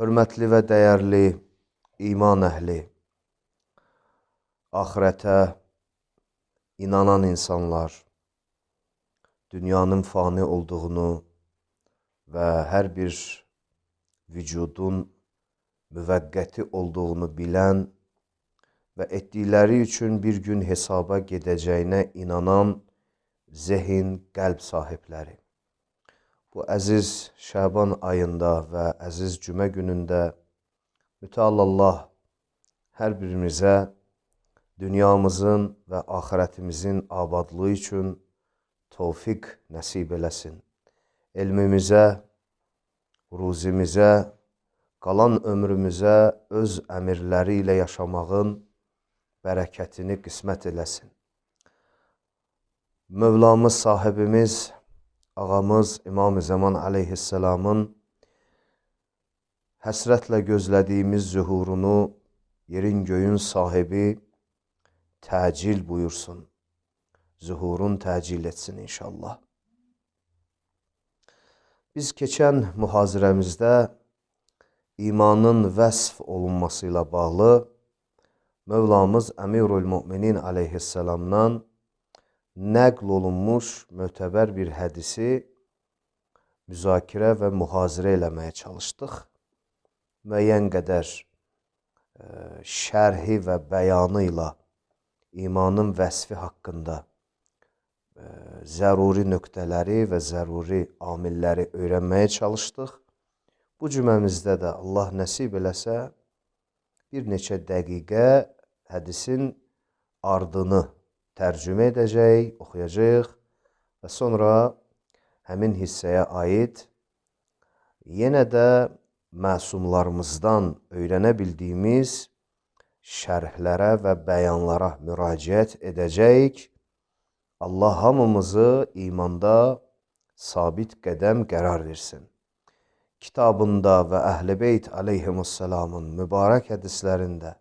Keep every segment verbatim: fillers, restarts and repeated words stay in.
Hörmətli və dəyərli iman əhli, axirətə inanan insanlar, dünyanın fani olduğunu və hər bir vücudun müvəqqəti olduğunu bilən və etdikləri üçün bir gün hesaba gedəcəyinə inanan zehin, qəlb sahibləri. Bu əziz Şaban ayında və əziz cümə günündə Mütəal Allah hər birimizə dünyamızın və axirətimizin abadlığı üçün tövfiq nəsib eləsin. Elmimizə, ruzimizə, qalan ömrümüzə öz əmirləri ilə yaşamağın bərəkətini qismət eləsin. Mövlamız, sahibimiz, ağamız İmam-ı Zaman aleyhisselamın həsrətlə gözlədiyimiz zühurunu yerin göyün sahibi təcil buyursun. Zühurun təcil etsin inşallah. Biz keçən mühazirəmizdə imanın vəsf olunması ilə bağlı Mövlamız Əmirül Müminin aleyhisselamdan nəql olunmuş mötəbər bir hədisi müzakirə və mühazirə eləməyə çalışdıq. Müəyyən qədər e, şərhi və bəyanı ilə imanın vəsfi haqqında e, zəruri nöqtələri və zəruri amilləri öyrənməyə çalışdıq. Bu cüməmizdə də Allah nəsib eləsə bir neçə dəqiqə hədisin ardını tərcümə edəcək, oxuyacaq və sonra həmin hissəyə aid yenə də məsumlarımızdan öyrənə bildiyimiz şərhlərə və bəyanlara müraciət edəcək. Allah hamımızı imanda sabit qədəm qərar versin. Kitabında və Əhl-i Beyt aleyhimussalamın mübarək hədislərində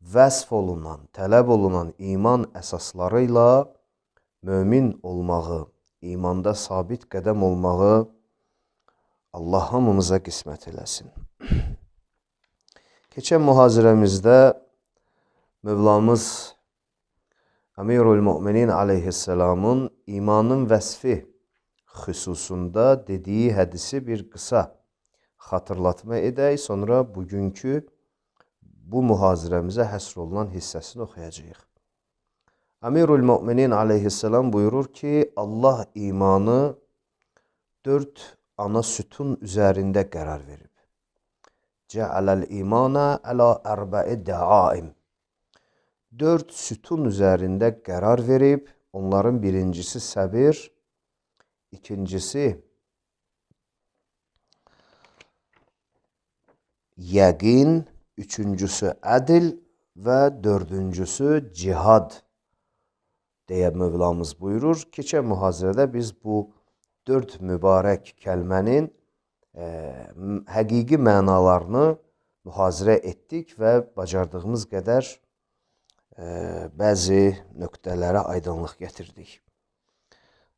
vəsf olunan, tələb olunan iman əsasları ilə mömin olmağı, imanda sabit qədəm olmağı Allah hamımıza qismət eləsin. Keçən mühazirəmizdə Mövlamız Əmirül Müminin aleyhisselamın imanın vəsfi xüsusunda dediyi hədisi bir qısa xatırlatma edək, sonra bugünkü bu mühazirəmizə həsr olunan hissəsini oxuyacağıq. Əmirül Müminin aleyhisselam buyurur ki, Allah imanı dörd ana sütun üzərində qərar verib. Cəaləl imana əla ərbə'i dəaim. Dörd sütun üzərində qərar verib, onların birincisi səbir, ikincisi yəqin, üçüncüsü ədil və dördüncüsü cihad deyə Mövlamız buyurur. Keçən mühazirədə biz bu dörd mübarək kəlmənin e, həqiqi mənalarını mühazirə etdik və bacardığımız qədər e, bəzi nöqtələrə aydınlıq gətirdik.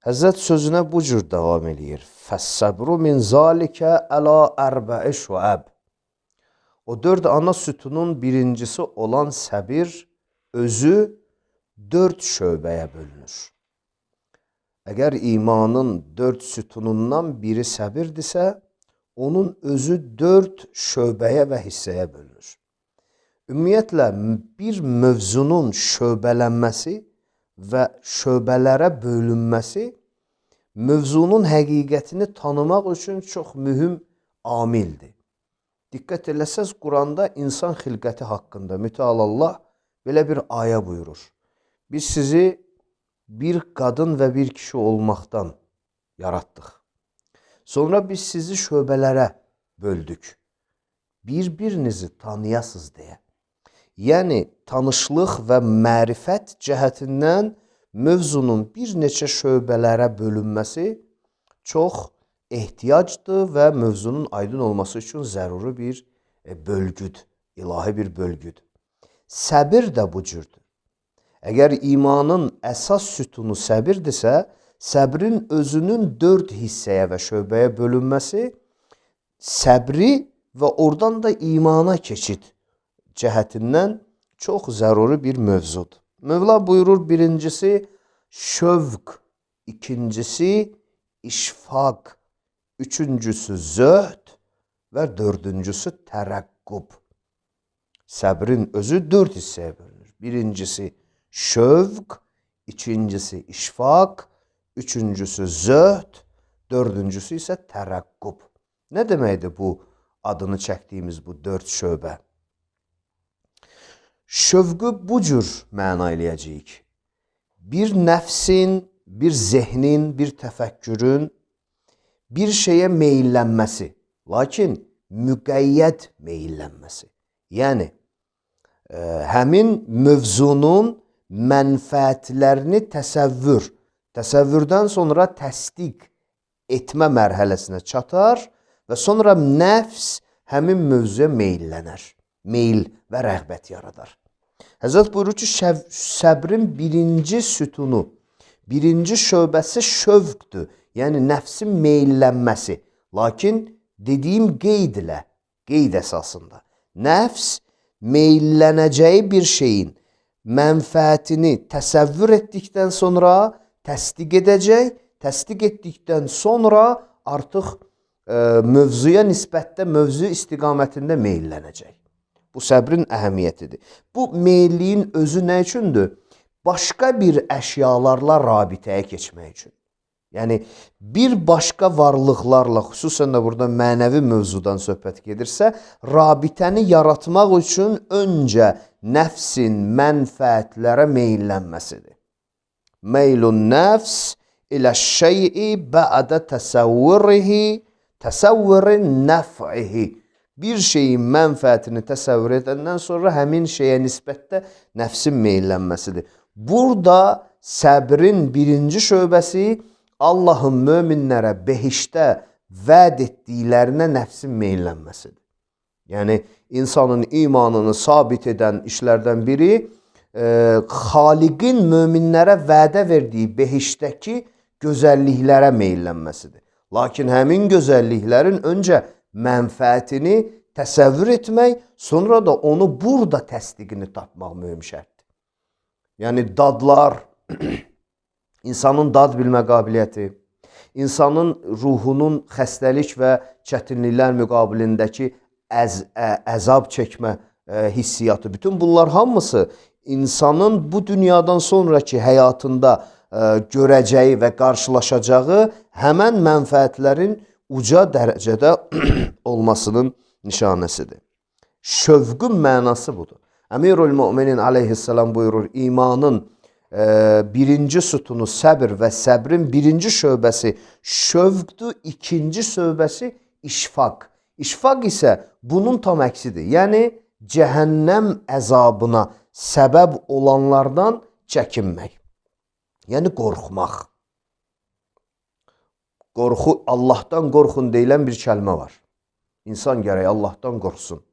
Həzrət sözünə bu cür davam edir. Fəssəbru min zalikə əla ərbə'i şuəb. O dörd ana sütunun birincisi olan səbir özü dörd şöbəyə bölünür. Əgər imanın dörd sütunundan biri səbirdirsə, onun özü dörd şöbəyə və hissəyə bölünür. Ümumiyyətlə, bir mövzunun şöbələnməsi və şöbələrə bölünməsi mövzunun həqiqətini tanımaq üçün çox mühüm amildir. Diqqət eləsəz, Quranda insan xilqəti haqqında Mütəal Allah belə bir ayə buyurur. Biz sizi bir qadın və bir kişi olmaqdan yaratdıq. Sonra biz sizi şöbələrə böldük. Bir-birinizi tanıyasız deyə. Yəni, tanışlıq və mərifət cəhətindən mövzunun bir neçə şöbələrə bölünməsi çox ehtiyacdır və mövzunun aydın olması üçün zəruri bir bölgüdür, ilahi bir bölgüdür. Səbir də bu cürdür. Əgər imanın əsas sütunu səbirdirsə, səbrin özünün dörd hissəyə və şöbəyə bölünməsi səbri və oradan da imana keçid cəhətindən çox zəruri bir mövzudur. Mövla buyurur, birincisi şövq, ikincisi işfaq, üçüncüsü zöhd və dördüncüsü tərəqqub. Səbrin özü dörd hissəyə bölünür. Birincisi şövq, ikincisi işfaq, üçüncüsü zöhd, dördüncüsü isə tərəqqub. Nə deməkdir bu adını çəkdiyimiz bu dörd şöbə? Şövqü bu cür məna eləyəcəyik. Bir nəfsin, bir zehnin, bir təfəkkürün bir şeyə meyillənməsi, lakin müqəyyəd meyillənməsi. Yəni, ə, həmin mövzunun mənfəətlərini təsəvvür, təsəvvürdən sonra təsdiq etmə mərhələsinə çatar və sonra nəfs həmin mövzuya meyillənər. Meyil və rəğbət yaradar. Həzrət buyurur ki, səbrin birinci sütunu, birinci şöbəsi şövqdür. Yəni, nəfsin meyillənməsi. Lakin dediyim qeyd ilə, qeyd əsasında. Nəfs meyillənəcəyi bir şeyin mənfəətini təsəvvür etdikdən sonra təsdiq edəcək, təsdiq etdikdən sonra artıq ə, mövzuya nisbətdə, mövzu istiqamətində meyillənəcək. Bu səbrin əhəmiyyətidir. Bu meyilliyin özü nə üçündür? Başqa bir əşyalarla rabitəyə keçmək üçün. Yəni, bir başqa varlıqlarla, xüsusən də burada mənəvi mövzudan söhbət gedirsə, rabitəni yaratmaq üçün öncə nəfsin mənfəətlərə meyillənməsidir. Meylun nəfs ilə şey'i bə'də təsəvvürihi, təsəvvürin nəf'ihi. Bir şeyin mənfəətini təsəvvür edəndən sonra həmin şeyə nisbətdə nəfsin meyillənməsidir. Burada səbrin birinci şöbəsi Allahın möminlərə behişdə vəd etdiklərinə nəfsin meyillənməsidir. Yəni, insanın imanını sabit edən işlərdən biri e, Xaliqin möminlərə vədə verdiyi behişdəki gözəlliklərə meyillənməsidir. Lakin həmin gözəlliklərin öncə mənfəətini təsəvvür etmək, sonra da onu burada təsdiqini tapmaq mühüm şərtdir. Yəni, dadlar, insanın dad bilmə qabiliyyəti, insanın ruhunun xəstəlik və çətinliklər müqabilindəki əz, ə, əzab çəkmə ə, hissiyatı, bütün bunlar hamısı insanın bu dünyadan sonraki həyatında ə, görəcəyi və qarşılaşacağı həmən mənfəətlərin uca dərəcədə olmasının nişanəsidir. Şövqün mənası budur. Əmirül-Müminin aleyhissalam buyurur, imanın e, birinci sütunu səbir və səbrin birinci şöbəsi şövqdür, ikinci şöbəsi işfaq. İşfaq isə bunun tam əksidir. Yəni, cəhənnəm əzabına səbəb olanlardan çəkinmək. Yəni, qorxmaq. Qorxu, Allahdan qorxun deyilən bir kəlmə var. İnsan gərək Allahdan qorxsun.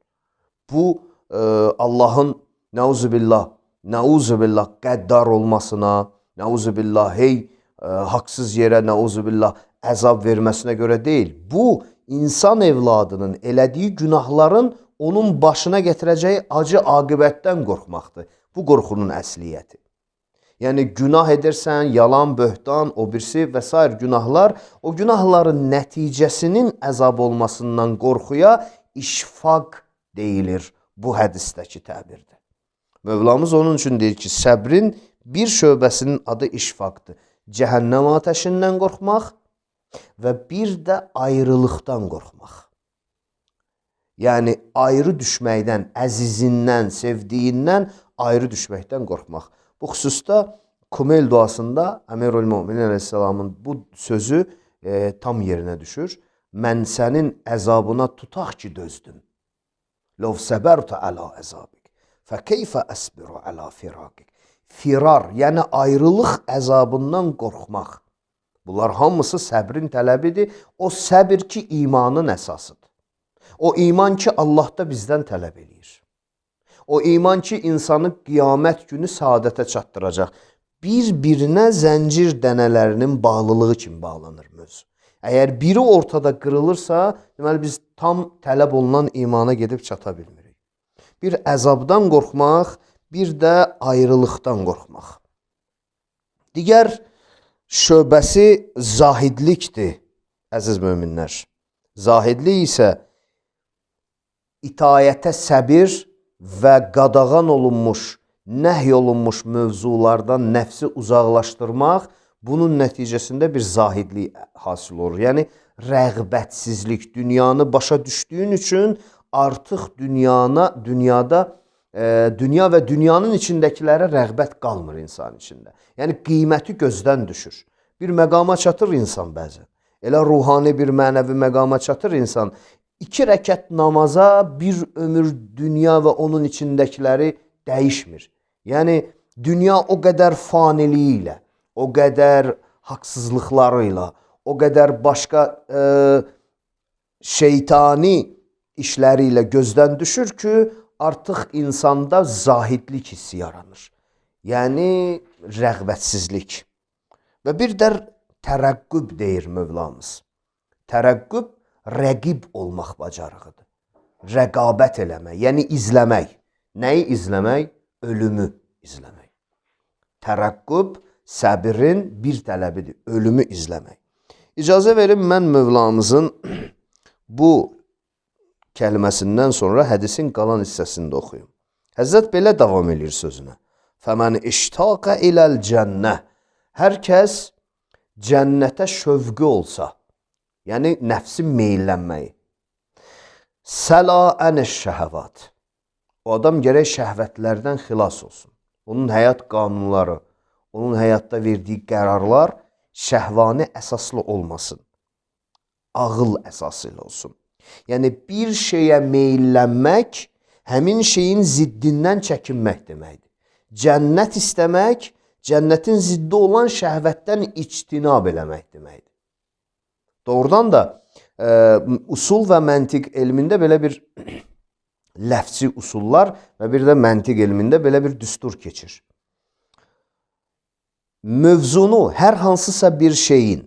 Bu, e, Allahın nəuzubillah, nəuzubillah qəddar olmasına, nəuzubillah hey, e, haqsız yerə nəuzubillah əzab verməsinə görə deyil. Bu, insan evladının elədiyi günahların onun başına gətirəcəyi acı aqibətdən qorxmaqdır. Bu, qorxunun əsliyyəti. Yəni, günah edirsən, yalan, böhtan, o birisi və s. günahlar, o günahların nəticəsinin əzab olmasından qorxuya işfaq deyilir bu hədisdəki təbirdə. Mövlamız onun üçün deyir ki, səbrin bir şöbəsinin adı işfaqdır. Cəhənnəm atəşindən qorxmaq və bir də ayrılıqdan qorxmaq. Yəni, ayrı düşməkdən, əzizindən, sevdiyindən ayrı düşməkdən qorxmaq. Bu xüsusda Kumel duasında Əmirül-Müminin aleyhissalamın bu sözü e, tam yerinə düşür. Mən sənin əzabına tutaq ki dözdüm. Lov səbərtə əla əzabik, fə keyfə əsbiru əla firaqik. Firar, yəni ayrılıq əzabından qorxmaq. Bunlar hamısı səbrin tələbidir. O səbir ki, imanın əsasıdır. O iman ki, Allahda bizdən tələb eləyir. O iman ki, insanı qiyamət günü saadətə çatdıracaq. Bir-birinə zəncir dənələrinin bağlılığı kimi bağlanır mövzu. Əgər biri ortada qırılırsa, deməli biz tam tələb olunan imana gedib çata bilmirik. Bir əzabdan qorxmaq, bir də ayrılıqdan qorxmaq. Digər şöbəsi zahidlikdir, əziz möminlər. Zahidlik isə itayətə səbir və qadağan olunmuş, nəhy olunmuş mövzulardan nəfsi uzaqlaşdırmaq, bunun nəticəsində bir zahidlik hasil olur. Yəni, rəğbətsizlik, dünyanı başa düşdüyün üçün artıq dünyana, dünyada, e, dünya və dünyanın içindəkilərə rəğbət qalmır insan içində. Yəni, qiyməti gözdən düşür. Bir məqama çatır insan bəzən. Elə ruhani bir mənəvi məqama çatır insan. İki rəkət namaza bir ömür dünya və onun içindəkiləri dəyişmir. Yəni, dünya o qədər faniliyi ilə, o qədər haqsızlıqlarıyla, o qədər başqa e, şeytani işləri ilə gözdən düşür ki, artıq insanda zahidlik hissi yaranır. Yəni, rəğbətsizlik. Və bir də tərəqqüb deyir Mövlamız. Tərəqqüb rəqib olmaq bacarığıdır. Rəqabət eləmək, yəni izləmək. Nəyi izləmək? Ölümü izləmək. Tərəqqüb səbirin bir tələbidir, ölümü izləmək. İcazə verin, mən Mövlamızın bu kəlməsindən sonra hədisin qalan hissəsində oxuyum. Həzrət belə davam edir sözünə. Fəmən iştaqa iləl cənnə. Hər kəs cənnətə şövqü olsa, yəni nəfsin meyllənməyi. Səla ənəş şəhəvat. O adam gərək şəhvətlərdən xilas olsun. Onun həyat qanunları, onun həyatda verdiyi qərarlar şəhvani əsaslı olmasın. Ağıl əsası ilə olsun. Yəni bir şeyə meyllənmək həmin şeyin ziddindən çəkinmək deməkdir. Cənnət istəmək, cənnətin ziddi olan şəhvətdən ictinab eləmək deməkdir. Doğrudan da e, usul və məntiq elmində belə bir ləfzi usullar və bir də məntiq elmində belə bir düstur keçir. Mövzunu, hər hansısa bir şeyin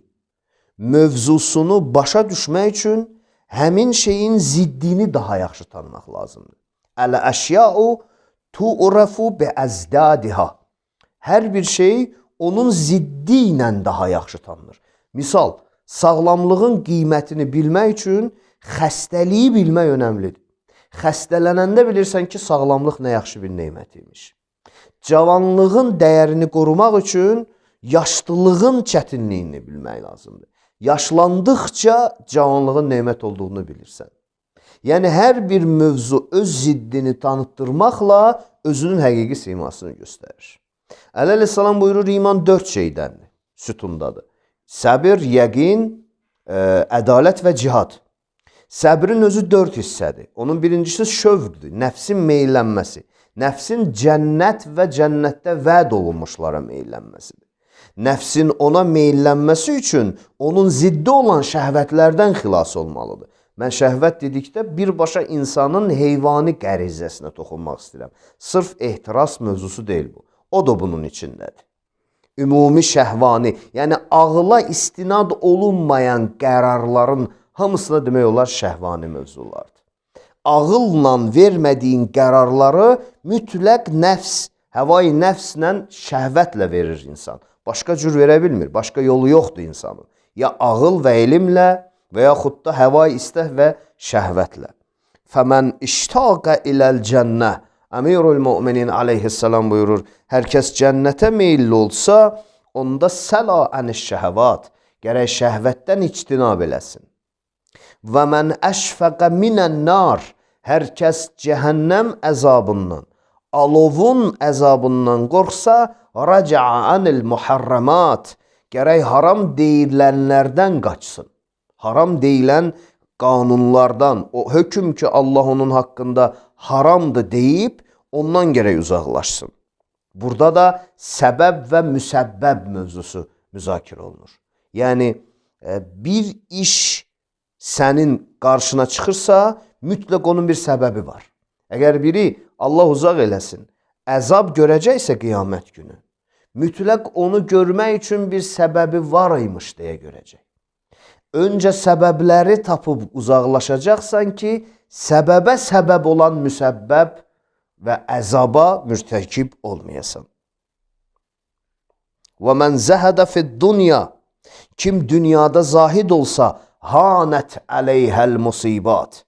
mövzusunu başa düşmək üçün həmin şeyin ziddini daha yaxşı tanımaq lazımdır. Əl-əşya'u tu'rafu bi'əzdadiha. Hər bir şey onun ziddi ilə daha yaxşı tanınır. Misal, sağlamlığın qiymətini bilmək üçün xəstəliyi bilmək önəmlidir. Xəstələnəndə bilirsən ki, sağlamlıq nə yaxşı bir neymətiymiş. Cavanlığın dəyərini qorumaq üçün yaşlılığın çətinliyini bilmək lazımdır. Yaşlandıqca cavanlığın neymət olduğunu bilirsən. Yəni, hər bir mövzu öz ziddini tanıtdırmaqla özünün həqiqi simasını göstərir. Əleyhissalam buyurur, iman dörd şeydəndir, sütundadır. Səbir, yəqin, ə, ədalət və cihad. Səbrin özü dörd hissədir. Onun birincisi şövqdür, nəfsin meyllənməsi. Nəfsin cənnət və cənnətdə vəd olunmuşlara meyllənməsidir. Nəfsin ona meyllənməsi üçün onun ziddi olan şəhvətlərdən xilas olmalıdır. Mən şəhvət dedikdə birbaşa insanın heyvani qərizəsinə toxunmaq istəyirəm. Sırf ehtiras mövzusu deyil bu. O da bunun içindədir. Ümumi şəhvani, yəni ağla istinad olunmayan qərarların hamısına demək olar şəhvani mövzulardır. Ağılla vermədiyin qərarları mütləq nəfs, həvai nəfslə, şəhvətlə verir insan. Başqa cür verə bilmir, başqa yolu yoxdur insanın. Ya ağıl və elmlə və yaxud da həvai istək və şəhvətlə. Fəmən iştaqa iləl cənnə. Əmirul müminin aleyhissalam buyurur, hər kəs cənnətə meyilli olsa, onda səla əniş şəhəvat, gərək şəhvətdən ictinab eləsin. Və mən əşfəqə minən nar, hər kəs cəhənnəm əzabından, alovun əzabından qorxsa, raca'a anil muharramat, gərək haram deyilənlərdən qaçsın. Haram deyilən qanunlardan, o hökm ki Allah onun haqqında haramdır deyib, ondan gərək uzaqlaşsın. Burada da səbəb və müsəbbəb mövzusu müzakirə olunur. Yəni, bir iş sənin qarşına çıxırsa, mütləq onun bir səbəbi var. Əgər biri Allah uzaq eləsin, əzab görəcəksə qiyamət günü, mütləq onu görmək üçün bir səbəbi var imiş deyə görəcək. Öncə səbəbləri tapıb uzaqlaşacaqsan ki, səbəbə səbəb olan müsəbbəb və əzaba mürtəkib olmayasan. Və mən zəhədə fid-dunya, kim dünyada zahid olsa, hanət əleyhəl musibat,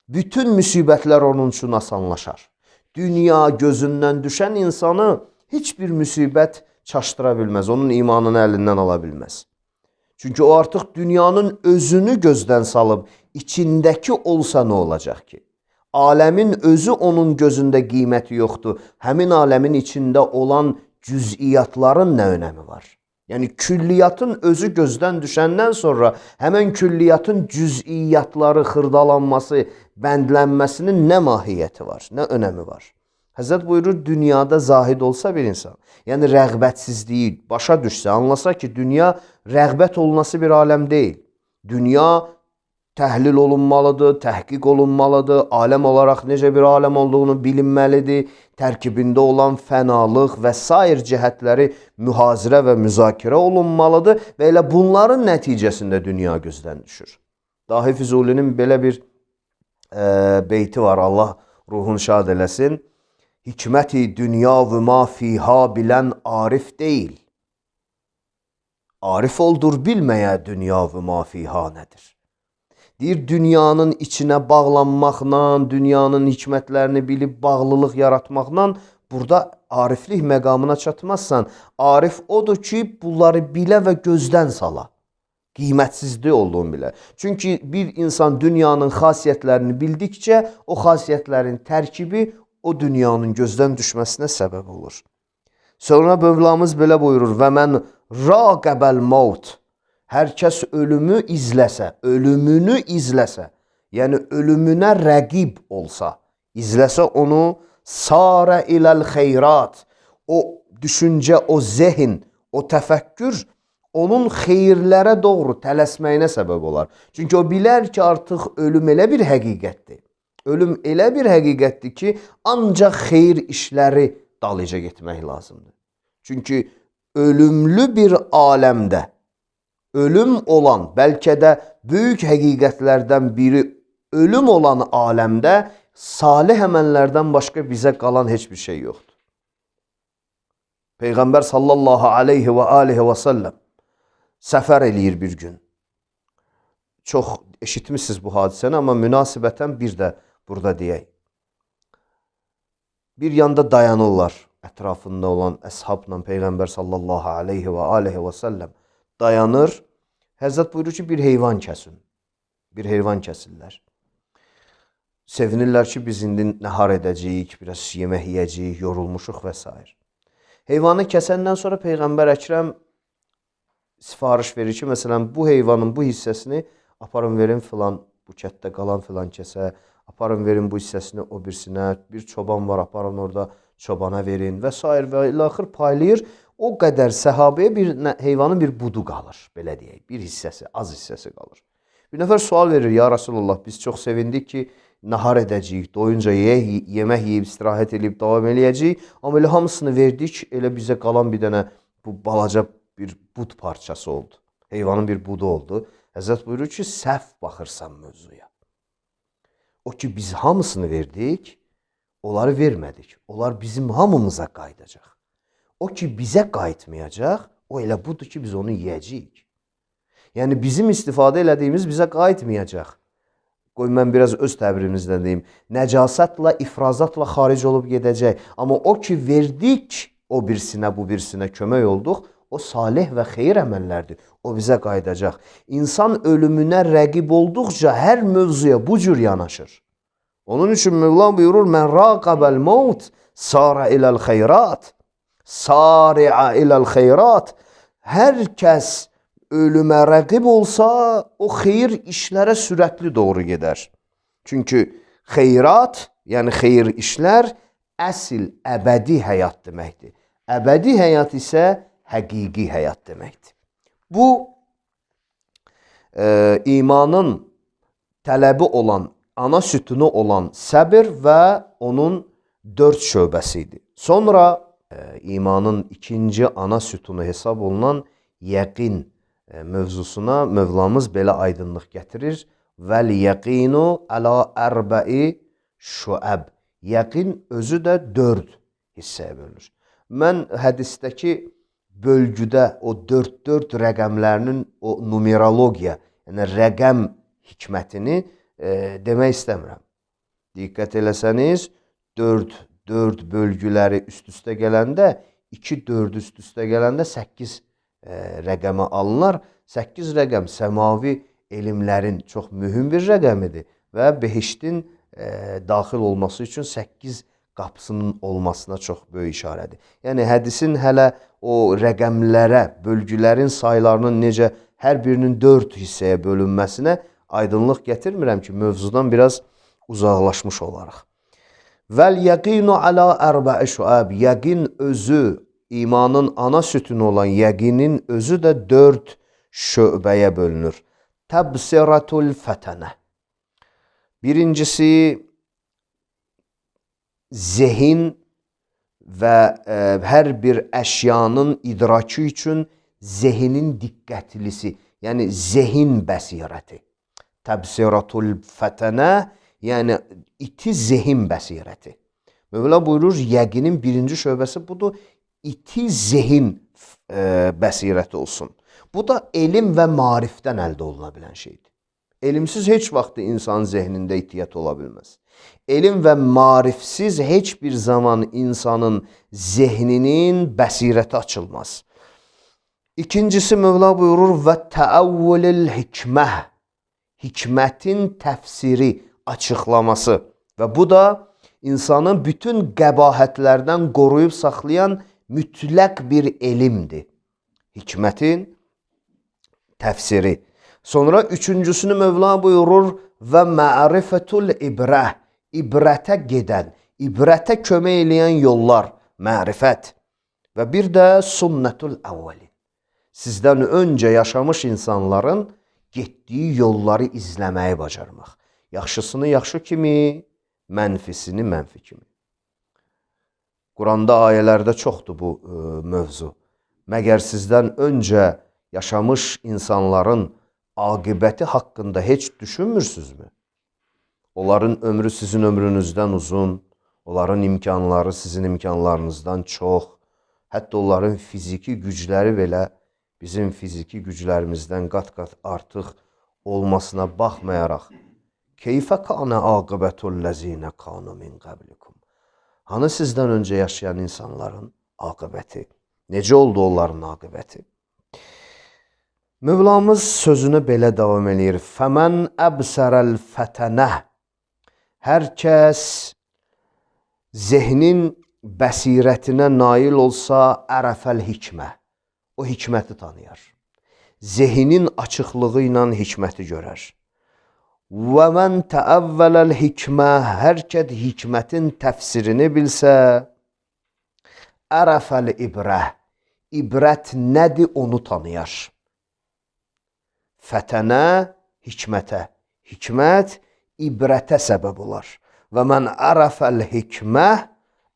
bütün müsibətlər onun üçün asanlaşar. Dünya gözündən düşən insanı heç bir müsibət çaşdıra bilməz, onun imanını əlindən ala bilməz. Çünki o artıq dünyanın özünü gözdən salıb, içindəki olsa nə olacaq ki? Aləmin özü onun gözündə qiyməti yoxdur. Həmin aləmin içində olan cüz'iyyatların nə önəmi var? Yəni külliyyatın özü gözdən düşəndən sonra həmən külliyyatın cüz'iyyatları xırdalanması, bəndlənməsinin nə mahiyyəti var, nə önəmi var? Həzrət buyurur, dünyada zahid olsa bir insan, yəni rəğbətsizliyi başa düşsə, anlasa ki, dünya rəğbət olunası bir aləm deyil. Dünya təhlil olunmalıdır, təhqiq olunmalıdır, aləm olaraq necə bir aləm olduğunu bilinməlidir, tərkibində olan fənalıq və sair cəhətləri mühazirə və müzakirə olunmalıdır və elə bunların nəticəsində dünya gözdən düşür. Dahi Füzulinin belə bir e, beyti var, Allah ruhunu şad eləsin. Hikməti dünya və ma fiha bilən arif deyil. Arif oldur bilməyə dünya və ma fiha nədir? Deyir, dünyanın içinə bağlanmaqla, dünyanın hikmətlərini bilib bağlılıq yaratmaqla burada ariflik məqamına çatmazsan. Arif odur ki, bunları bilə və gözdən sala. Qimətsizlik olduğunu bilə. Çünki bir insan dünyanın xasiyyətlərini bildikcə, o xasiyyətlərin tərkibi o dünyanın gözdən düşməsinə səbəb olur. Sonra Mövlamız belə buyurur, və mən raqəbəl maut, hər kəs ölümü izləsə, ölümünü izləsə, yəni ölümünə rəqib olsa, izləsə onu, sarə iləl xeyrat, o düşüncə, o zehin, o təfəkkür, onun xeyirlərə doğru tələsməyinə səbəb olar. Çünki o bilər ki, artıq ölüm elə bir həqiqətdir. Ölüm elə bir həqiqətdir ki, ancaq xeyir işləri dalıca getmək lazımdır. Çünki ölümlü bir aləmdə, ölüm olan, bəlkə də böyük həqiqətlərdən biri ölüm olan aləmdə salih əməllərdən başqa bizə qalan heç bir şey yoxdur. Peyğəmbər sallallahu aleyhi və aleyhi və səlləm səfər eləyir bir gün. Çox eşitmişsiniz bu hadisəni, amma münasibətən bir də burada deyək. Bir yanda dayanırlar, ətrafında olan əshabla Peyğəmbər sallallahu aleyhi və aleyhi və səlləm dayanır. Həzrət buyurur ki, bir heyvan kəsin. Bir heyvan kəsirlər. Sevinirlər ki, biz indi nəhar edəcəyik, biraz yemək yiyəcəyik, yorulmuşuq və s. Heyvanı kəsəndən sonra Peyğəmbər Əkrəm sifariş verir ki, məsələn, bu heyvanın bu hissəsini aparın verin filan, bu kətdə qalan filan kəsə, aparın verin bu hissəsini o birisinə, bir çoban var, aparın orada çobana verin və s. və ilaxır paylayır. O qədər səhabəyə bir heyvanın bir budu qalır, belə deyək, bir hissəsi, az hissəsi qalır. Bir nəfər sual verir, ya Rasulullah, biz çox sevindik ki, nahar edəcəyik, doyunca yeyək, yemək yeyib, istirahət edib, davam eləyəcəyik, amma elə hamısını verdik, elə bizə qalan bir dənə bu balaca bir bud parçası oldu. Heyvanın bir budu oldu. Həzrət buyurur ki, səhv baxırsan mövzuya. O ki, biz hamısını verdik, onları vermədik. Onlar bizim hamımıza qayıdacaq. O ki, bizə qayıtmayacaq, o elə budur ki, biz onu yiyəcəyik. Yəni, bizim istifadə elədiyimiz bizə qayıtmayacaq. Qoy, mən biraz öz təbirimizdən deyim. Nəcasətlə, ifrazatla xaric olub gedəcək. Amma o ki, verdik, o birisinə, bu birisinə kömək olduq, o salih və xeyir əməllərdir. O bizə qayıdacaq. İnsan ölümünə rəqib olduqca hər mövzuya bu cür yanaşır. Onun üçün Mövlam buyurur, mən raqəbəl maut, sarə iləl xeyrat. Sari'a iləl xeyrat. Hər kəs ölümə rəqib olsa, o xeyir işlərə sürətli doğru gedər. Çünki xeyrat, yəni xeyir işlər, əsil, əbədi həyat deməkdir. Əbədi həyat isə həqiqi həyat deməkdir. Bu, e, imanın tələbi olan, ana sütunu olan səbir və onun dörd şöbəsidir. Sonra e, imanın ikinci ana sütunu hesab olunan yəqin e, mövzusuna Mövlamız belə aydınlıq gətirir. Vəl yəqinu əla ərbəi şüəb. Yəqin özü də dörd hissəyə bölünür. Mən hədisdəki bölgüdə o dörd-dörd rəqəmlərinin o numerologiya, yəni rəqəm hikmətini e, demək istəmirəm. Diqqət eləsəniz, dörd bölgüləri üst-üstə gələndə, iki dörd üst-üstə gələndə səkkiz e, rəqəmə alınır. səkkiz rəqəm səmavi elmlərin çox mühüm bir rəqəmidir və behiştin e, daxil olması üçün səkkiz qapısının olmasına çox böyük işarədir. Yəni hədisin hələ o rəqəmlərə, bölgülərin saylarının necə hər birinin dörd hissəyə bölünməsinə aydınlıq gətirmirəm ki, mövzudan biraz uzaqlaşmış olaraq. Vəl yəqinu alə ərbə'i şüəb. Yəqin özü, imanın ana sütunu olan yəqinin özü də dörd şöbəyə bölünür. Təbsiratul fətənə. Birincisi, zehin və e, hər bir əşyanın idraki üçün zehinin diqqətlisi, yəni zehin bəsirəti. Təbsiratul fətənə, yəni iti zehin bəsirəti. Mövla buyurur, yəqinin birinci şöbəsi budur, iti zehin e, bəsirəti olsun. Bu da elm və marifdən əldə oluna bilən şeydir. Elmsiz heç vaxt insanın zehnində itiyyət ola bilməz. Elm və marifsiz heç bir zaman insanın zehninin bəsirəti açılmaz. İkincisi Mövla buyurur və təəvvülül hikməh, hikmətin təfsiri, açıqlaması və bu da insanı bütün qəbahətlərdən qoruyub saxlayan mütləq bir elmdir. Hikmətin təfsiri. Sonra üçüncüsünü Mövla buyurur və mərifətul ibrə, ibrətə gedən, ibrətə kömək eləyən yollar, mərifət. Və bir də sünnətul əvvəlin. Sizdən öncə yaşamış insanların getdiyi yolları izləməyi bacarmaq. Yaxşısını yaxşı kimi, mənfisini mənfi kimi. Quranda ayələrdə çoxdur bu e, mövzu. Məgər sizdən öncə yaşamış insanların aqibəti haqqında heç düşünmürsünüzmü? Onların ömrü sizin ömrünüzdən uzun, onların imkanları sizin imkanlarınızdan çox, hətta onların fiziki gücləri belə bizim fiziki güclərimizdən qat-qat artıq olmasına baxmayaraq, keyfə kanə aqibətulləzinə kanu min qablikum. Hanı sizdən öncə yaşayan insanların aqibəti? Necə oldu onların aqibəti? Mövlamız sözünü belə davam edir. Fəmən əbsərəl fətənə. Hər kəs zehnin bəsirətinə nail olsa ərəfəl hikmə. O hikməti tanıyar. Zehinin açıqlığı ilə hikməti görər. Və mən təəvvələl hikmə. Hər kəs hikmətin təfsirini bilsə, ərəfəl ibrə. İbrət nədir onu tanıyar. Fətənə hikmətə. Hikmət ibrətə səbəb olar. Və mən ərəfəl hikmə,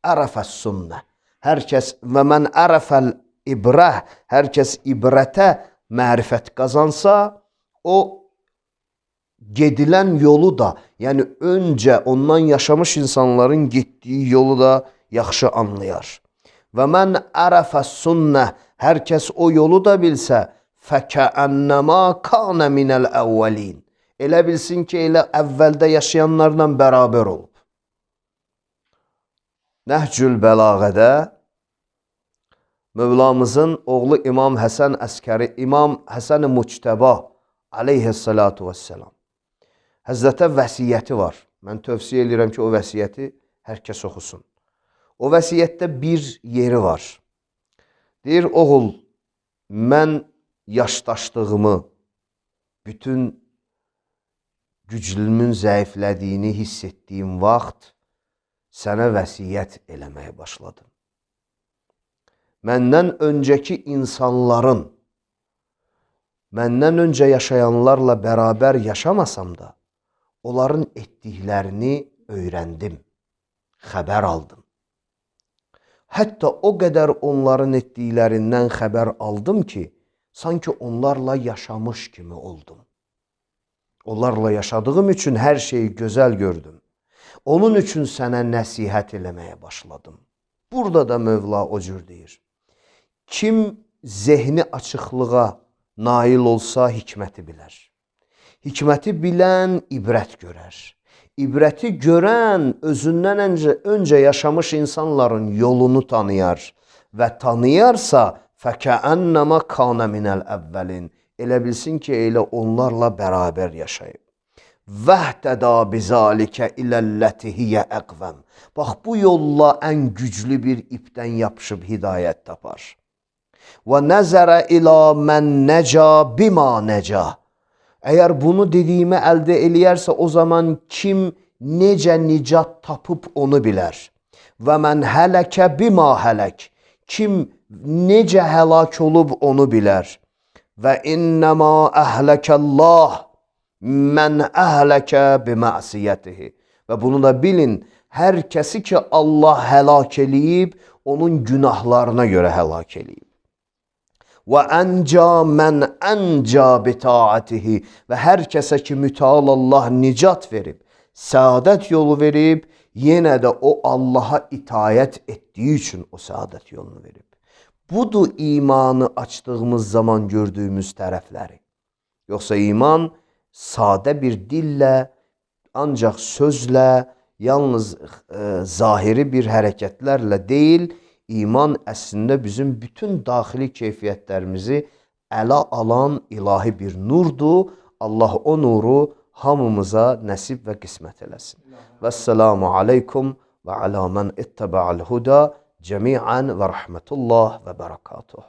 ərəfəs sünnə. Hər kəs və mən ərəfəl ibrə, hər kəs ibrətə mərifət qazansa, o gedilən yolu da, yəni öncə ondan yaşamış insanların getdiyi yolu da yaxşı anlayar. Və mən ərəfəs sünnə, hər kəs o yolu da bilsə, fəkəənnəmə kanə minəl əvvəlin. Elə bilsin ki, elə əvvəldə yaşayanlarla bərabər olub. Nəhcül Bəlağədə Mövlamızın oğlu İmam Həsən Əskəri, İmam Həsən-i Muctəba aleyhissalatu vesselam Həzrətə vəsiyyəti var. Mən tövsiyə edirəm ki, o vəsiyyəti hər kəs oxusun. O vəsiyyətdə bir yeri var. Deyir, oğul, mən yaşdaşlığımı, bütün güclümün zəiflədiyini hiss etdiyim vaxt sənə vəsiyyət eləməyə başladım. Məndən öncəki insanların, məndən öncə yaşayanlarla bərabər yaşamasam da, onların etdiklərini öyrəndim, xəbər aldım. Hətta o qədər onların etdiklərindən xəbər aldım ki, sanki onlarla yaşamış kimi oldum. Onlarla yaşadığım üçün hər şeyi gözəl gördüm. Onun üçün sənə nəsihət eləməyə başladım. Burada da Mövla o cür deyir. Kim zehni açıqlığa nail olsa hikməti bilər. Hikməti bilən ibrət görər. İbrəti görən özündən öncə, öncə yaşamış insanların yolunu tanıyar və tanıyarsa fəkəənnəmə kanə minəl əvvəlin. Elə bilsin ki, elə onlarla bərabər yaşayıb. Vəhdədə bizalikə iləlləti hiyə əqvəm. Bax, bu yolla ən güclü bir ipdən yapışıb hidayət tapar. Və nəzərə ilə mən nəca bima nəca. Əgər bunu dediyimi əldə eləyərsə, o zaman kim necə nicat tapıb onu bilər. Və mən hələkə bima hələk. Kim necə həlak olub onu bilər. Və innəmə əhləkəllah mən əhləkə bimə'siyyətihi. Və bunu da bilin, hər kəsi ki Allah həlak eləyib, onun günahlarına görə həlak eləyib. Və ənca mən ənca bitaatihi. Və hər kəsə ki mütəal Allah nicat verib, səadət yolu verib, yenə də o Allaha itayət etdiyi üçün o səadət yolunu verib. Budur imanı açdığımız zaman gördüyümüz tərəfləri. Yoxsa iman sadə bir dillə, ancaq sözlə, yalnız e, zahiri bir hərəkətlərlə deyil, iman əslində bizim bütün daxili keyfiyyətlərimizi ələ alan ilahi bir nurdur. Allah o nuru hamımıza nəsib və qismət eləsin. Vəsselamu aleykum və alə mən ittəbə'al huda cəmiən və rəhmətullah və bərəkatuh.